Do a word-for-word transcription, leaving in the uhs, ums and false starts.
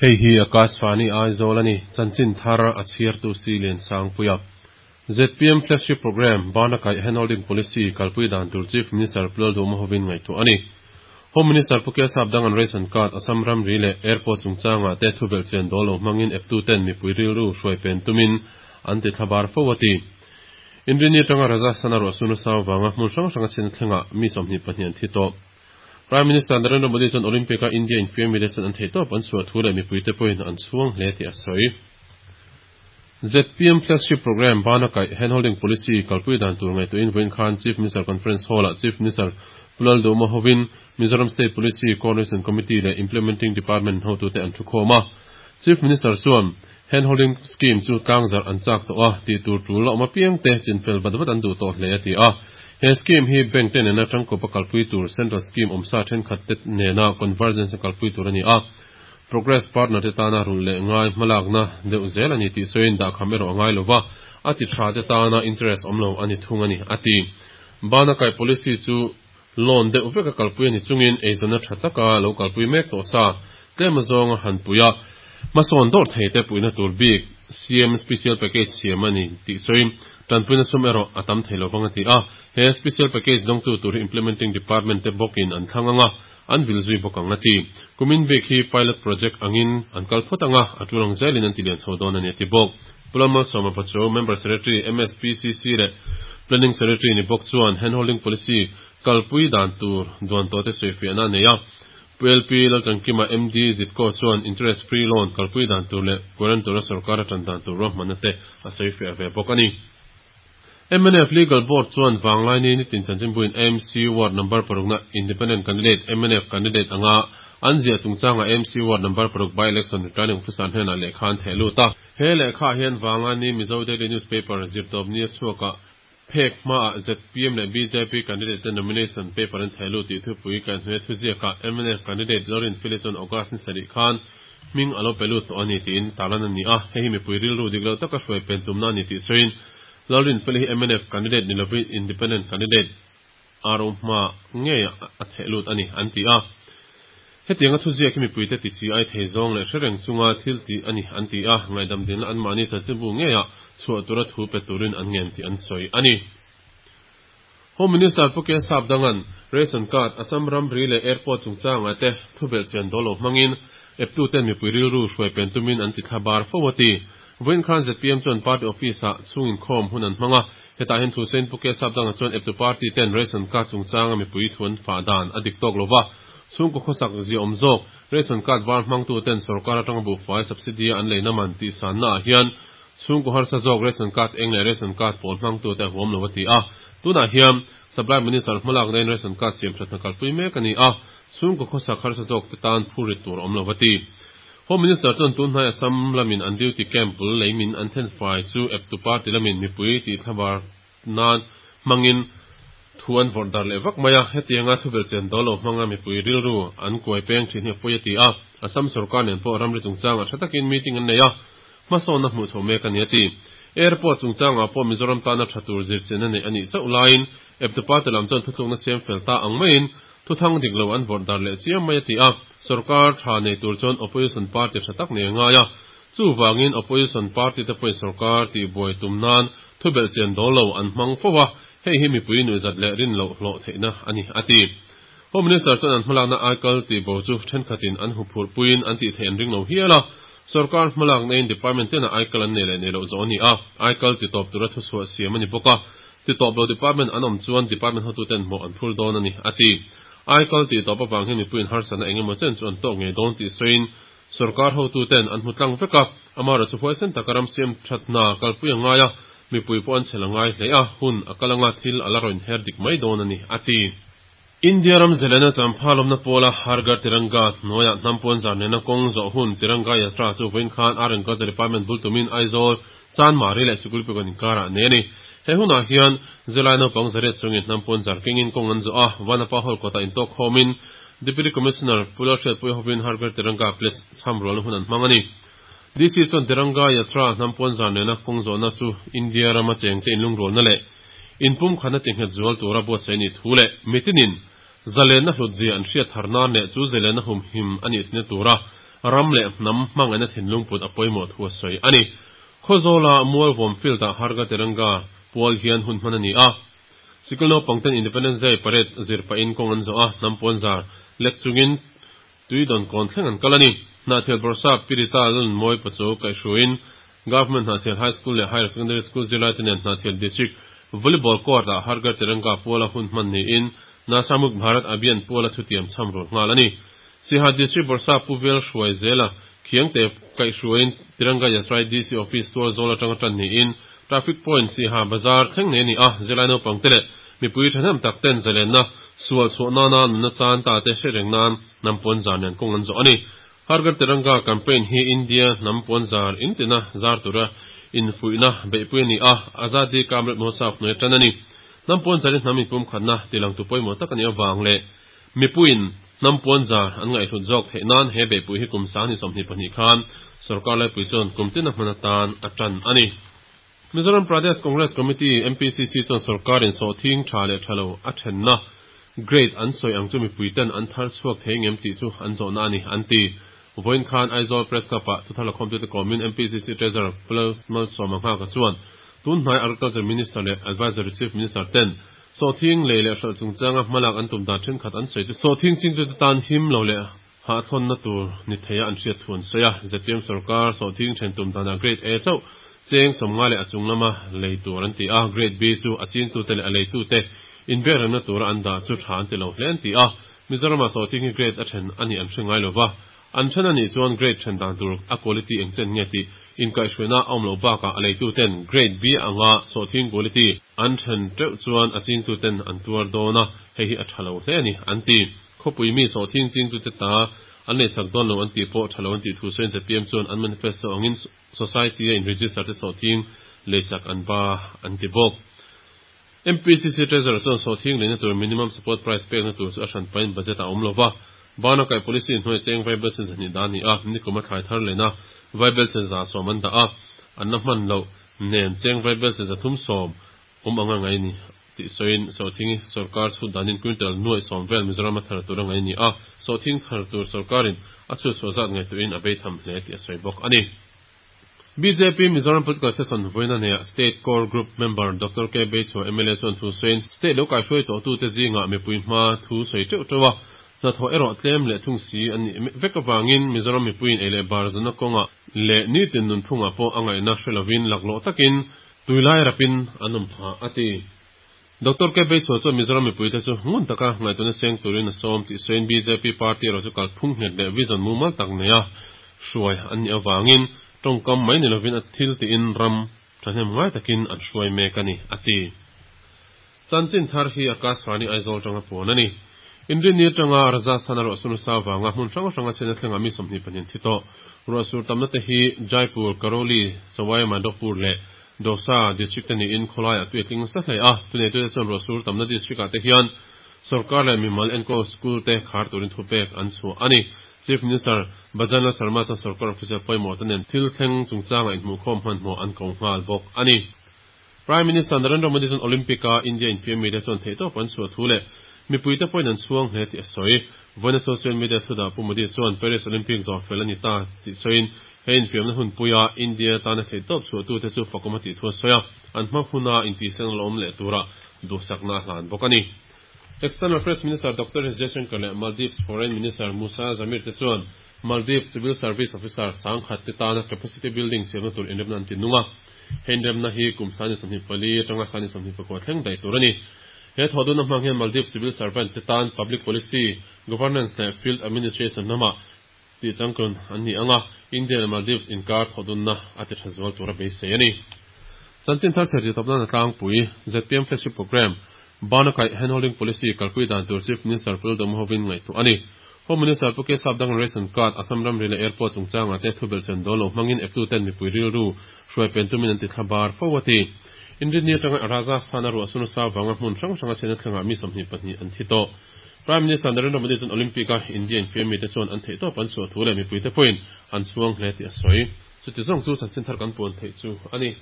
Hei hi Akashvani Aizawl ani chanchin thar a chhiar tu si len sangpuia Z P M flagship program bana kai handholding policy kalpui dan tur Chief Minister Plal Duma hovin ngai tu ani Home Minister Pukia Sapdang an ration card Assam ram ri le airport chungchanga te thubel chen dolo mangin F two ten mi puiril ru hruai pen tumin an ti thlabar fawati Indrini tanga raja sanaro sunu saw wanga hmun hrang hranga chin thlenga mi somni pahnian thi to Prime Minister Narendra Modi chuan Olympic-a India in fiam mile chuan an thei tawp an chhuah thu leh mipuite pawhin an chhuang hle tih a sawi. Z P M flagship program bana kai handholding policy kalpui dan tur ngai tuin vawiin khan Chief Minister Conference Hall-ah Chief Minister Pulal Duma hovin Mizoram State Policy Coordination Committee leh Implementing Department hotute an thukhawm a. Chief Minister chuan handholding scheme chu tlangzar an chak tawh a tih tur tul la awm apiang te chinfel vat vat an duh tawh hle a ti a. He scheme hi bank te nena tangkawpa kalpui tur central scheme awmsa thenkhat te nena convergence kalpui tur ani a. Progress partner te tana rul leh ngai hmalakna deuh zel ani tih sawiin dahkham erawh a ngai lova a ti tha te tana interest awm lo ani thung ani a ti. Bana kai policy chu loan deuh veka kalpui ani chungin eizawnna tha taka lo kalpui mek tawh sa tlem zawnga han puia hmasawn dawr thei te puina tur bik C M special package siam ani tih sawiin tanpuina sum erawh a tam thei lovang a ti a. He special package dawngtu tur hi implementing department te bawkin an thlang anga an vil zui bawk ang a ti. Kumin bik hi pilot project angin an kal phawt anga a tulang zelin an ti lian chho dawn ani a ti bawk. Pulama Sawma Pacho member secretary M S P C C leh planning secretary ni bawk chuan handholding policy kalpui dan tur duan tawh te sawifiahna nei a. P L P Lalchangkima M D Zitko chuan interest free loan kalpui dan tur leh guarantor a sarkar atan dan tur ruahmanna te a sawifiah ve bawk ani. M N F Legal Board chuan Vanglai ni nitin chanchinbuin A M C ward number parukna independent candidate M N F candidate anga an zia chungchanga A M C ward number paruk by election returning officer hnena lehkha an theh lut a. He lehkha hian Vanglai ni Mizo Daily Newspaper zirtawp ni a chhuaka phek hmaah Z P M leh B J P candidate te nomination paper an theh lut tih thupui kan hnuai thuziaka M N F candidate Lorin Philip chuan August ni sarih khan hming a lo pe lut tawh ani tiin tarlan ani a. Hei hi mipui rilru dik lo taka hruai pen tumna ani tih sawiin Lorin Philip hi M N F candidate ni lovin independent candidate R O hma nge a theh lut ani an ti a. Hetianga thuziak hi mipuite ti chi ai thei zawng leh hrereng chunga thil ti ani an ti a. Ngaidam dinna an mahni chanchinbu nge a chhuah tura thu pe turin an ngen tih an sawi ani. Home Minister Pukia Sapdangan ration card Assam ram ri leh airport chungchanga te thubel chian dolo hmangin F two ten mipui rilru hruai pen tumin an ti thlabar fo ati. Vawiin khan Z P M chuan party office ah chungin khawm hun an hmanga hetah hian thu sawiin Pukia Sapdanga chuan F two party ten ration card chungchanga mipui thuan fah dan a dik tawk lova chhungkaw khawsak zia awm zawk ration card var hmangtu ten sarkar atanga buhfai subsidy an leina man tih sanna ah hian chhungkaw harsa zawk ration card eng leh ration card pawl hmangtu te huam lo ati a. Tunah hian supply minister hmalak na in ration card siam thatna kalpui mek ani a. Chhungkaw khawsak harsa zawk te tan phurit tur awm lo ati. Home Minister chuan tun hnai Assam lamin an duty camp bul leimin an then fai chu F two party lamin mipui tih thlabar nan hmangin thu an vawrh dar leh vak mai a. Hetianga thubel chen dolo hmanga mipui rilru an kuai peng thin hi a pawi a ti a. Assam sarkar nen pawh ramri chungchanga tha takin meeting an nei a. Hmasawnna hmuh chho mek ani a ti. Airport chungchanga pawh Mizoram tana tha tur zir chen ani ani chauh laiin F two party lam chuan thutlukna siam fel ta ang maiin thu thang dik lo an vawrh dar leh chiam mai a ti a. Sarkar tha nei tur chuan opposition party tha tak nei ngai a. Chu wangin opposition party te pawhin sarkar tih buai tum nan thubel chen dolo an hmang fo a. Hei hi mipui nuizat leh rin lo hlawh theihna ani a ti. Home Minister chuan an hmalakna aikal tih bo chu thenkhatin an huphurh puiin an tih theih an ring lo hial a. Sarkar hmalak na in department tena aikal an nei leh nei loh zawh ani a. Aikal ti tawp tura thu chhuah siam ani bawk a. Ti tawp lo department an awm chuan department hotu ten hmawh an phur dawn ani a ti. Aikal ti tawp awang hian mipuiin harsatna engemaw chen chu an tawk ngei dawn tih sawiin sarkar hotu ten an hmu tlang vek a. Amara chu huaisen taka ram siam thatna kalpui a ngai a. Mipui pawh an chhel a ngai hle a. Hun a kalanga thil a la rawn her dik mai dawn ani a ti. India ram zelena champha lawmna pawla Har Ghar Tiranga hnuaia hnampuan zar nena kawng zawh hun Tiranga Yatra chu vawiin khan Art and Culture Department bul tumin Aizawl Chanmari leh Sikulpigon inkarah nei ani. He hunah hian zilai naupang zariat chungin hnampuan zar kengin kawng an zawh a. Vanapa hall kawtah intawk khawmin Deputy Commissioner Pula Hriatpui hovin Har Ghar Tiranga pledge cham rualna hun an hmang ani. D C chuan Tiranga Yatra hnampuan zar nena kawng zawhna chu India rama chengte inlungrualna leh inpum khana tinghet zual tura buatsaih ni thu leh mitinin zalenna hlut zia an hriat thar nan leh chu zalenna hum him ani tina tura ram leh hnam hmangaihna thinlung put a pawimawh thu a sawi a ni. Khawzawl-a Mualvawm Field-ah Har Ghar Tiranga pual hian hun hman a ni a. Sikul naupangten Independence Day Parade zir pahin kawng an zawh a, hnam puanzar lek chungin Tuidawnkawn thleng an kal a ni. Hnahthial Bawrhsap Pi Rita Lalnunmawii Pachuau kaihhruaiin Government Hnahthial High School leh Higher Secondary School zirlaite nen Hnahthial District Volleyball Court-ah Har Ghar Tiranga puala hun hman niin Nasha Mukt Bharat Abhiyan puala thutiam chham rul nghal a ni. Siaha District Bawrhsap Pu Vel Hruai zela Khiangte kaihhruaiin Tiranga Yatra D C Office tual zawl atanga tan niin Traffic Point Siaha Bazar thleng nei a ni a, zirlai naupangte leh mipui thahnem tak ten zalenna sual chhuah nana nunna chan ta te hre reng nan hnam puanzar nen kawng an zawh a ni. Har Ghar Tiranga campaign hi India hnam puanzar intina zar tura infuihna beihpui a ni a, Azadi Ka Amrit Mahotsav hnuai tan a ni. Hnam puanzarin hnam inpumkhatna tilangtu pawimawh tak a nih avang leh mipuiin hnam puanzar an ngaihhlut zawk theih nan he beihpui hi kum sang sawmhnih pahnih khan sorkar laipui chuan kum tin a hman atan a tan a ni. Mizoram Pradesh Congress Committee, M P C C chuan sorkarin sawhthing tha leh tha lo a thenna grade an sawi ang chu mipuiten an thar chhuak thei ngem tih chu an zawhna a ni an ti. Vawiin khan Aizawl Press Club-ah thuthar lakhawmtute kawmin M P C C Treasurer Pu Malsawma Nghaka chuan tun hnai Agriculture Minister leh Advisory Chief Minister ten sawhthing lei leh hralh chungchanga hmalak an tum dan thenkhat an sawi chu sawhthing chingtute tan him lo leh hahthlawnna tur ni theia an hriat thu an sawi a. Z P M sorkar sawhthing then tum danah Grade A chauh cheng sawmnga leh a chung lama lei tur an ti a, Grade B chu a chingtute leh a leitute inbiakremna tura an dah chu tha an ti lo hle an ti a. Mizoramah sawhthing hi grade a then a nih an hre ngai lova, an then a nih chuan grade then dan tur a quality eng chen nge tih inkaihhruaina a awm loh bakah a leituten Grade B anga sawhthing quality an then teuh chuan a chingtuten an tuar dawn a, hei hi a tha lo hle a ni an ti. Khawpui mi sawhthing chingtute ta an leisak dawn lo an tih pawh tha lo an tih thu sawiin Z P M chuan an manifesto angin society a in-register te sawhthing leisak an ba an ti bawk. M P C C Treasurer chuan sawhthing leina tur minimum support price pekna tur chu a hran pain budget a awm lova, bana kai policy hnuai cheng vaibelchhe zahnih dah a ni a, nikum a thlai thar leina vaibelchhe za sawm an dah a, an la hman loh nen cheng vaibelchhe zathum sawm awm anga ngai ni tih sawiin sawhthing sorkar chhut danin quintal nuai sawm vel Mizoram a thar tur a ngai ni a, sawhthing thar tur sorkarin a chhut chhuah zat ngaihtuahin a bei tham hle tih a sawi bawk a ni. B J P Mizoram Political Session vawiina neihah State Core Group member Doctor K Beichhua M L A chuan thu sawiin state lo kaihruai tawhtute zingah mipui hma thu sawi teuh teuh a, hnathawh erawh tlem leh thung si an nih vek avangin Mizoram mipuiin ei leh bar zawna kawngah leh nitin nunphungah pawh a ngaihna hre lovin laklawh takin tuilai rapin an awm phah a ti. Doctor K Beichhua chuan Mizoram mipuite chu ngun taka ngaihtuahna seng turin a sawm tih sawiin B J P party erawh chu kalphung nghet leh vision mumal tak neia hruai an nih avangin tawngkam mai ni lovin a thil tiin ram thahnem ngai takin an hruai mek a ni a ti. Chanchin thar hi Akashvani Aizawl tanga puan a ni. Inrinni atanga Rajasthan a ruahsur nasa avanga hmun hrang hranga chhiatna thlengah mi sawmhnih pahnih thi tawh. Ruahsur tamna te hi Jaipur, Karauli, Sawai Madhopur leh Dausa district te niin khawlaiah tui a tling nasa hle a. Thuneitute chuan ruahsur tamna district ah te hian sorkar leh mimal enkawl school te khar turin thupek an chhuah a ni. Chief Minister Bhajan Lal Sharma chuan sorkar official pawimawh te nen thil thleng chungchanga inhmuhkhawm hmanhmawh an ko nghal bawk a ni. Prime Minister Narendra Modi chuan Olympic a India infiammi te chuan theihtawp an chhuah thu leh mipuite pawhin an chhuang hle tih a sawi. Vawiina social media thudah Pu Modi chuan Paris Olympic zawh fel a ni ta tih sawiin he infiamna hunpuia India tana theihtawp chhuahtute chu fakawm a tih thu a sawi a, an hma huna intihsiakna la awm leh tura duhsakna a hlan bawk a ni. External Affairs Minister Doctor S Jaishankar leh Maldives Foreign Minister Musa Zamir te chuan Maldives Civil Service Officer sangkhat te tana capacity building siamna tur inremna an ti nung a. He inremna hi kum sangni sawmhnih pali atanga sangni sawmhnih pakua thleng daih tur a ni. He thawhdunna hmang hian Maldives Civil Servant te tan public policy, governance leh field administration lamah tih changkun an ni anga, India leh Maldives inkar thawhdunna a ti tha zual tur a beisei a ni. Chanchin thar chhiar tawpna na tlangpui Z P M flagship program bana kai handholding policy kalpui dan tur Chief Minister Pu Lalduhoma hovin ngaihtuah a ni. Home Minister Pu K Sapdang ration card, Assam ramri leh airport chungchanga te thubel chen dawl lo hmangin eptu ten mipui rilru hruai pen tumin an ti thlabar fo a ti. Inrinni atanga Rajasthan a ruahsur nasa avanga hmun hrang hranga chhiatna thlengah mi sawmhnih pahnih an thi tawh. Prime Minister Narendra Modi chuan Olympic a India infiammi te chuan an theihtawp an chhuah thu leh mipuite pawhin an chhuang hle tih a sawi. Chuti zawng chu chanchin thar kan puan theih chu a ni.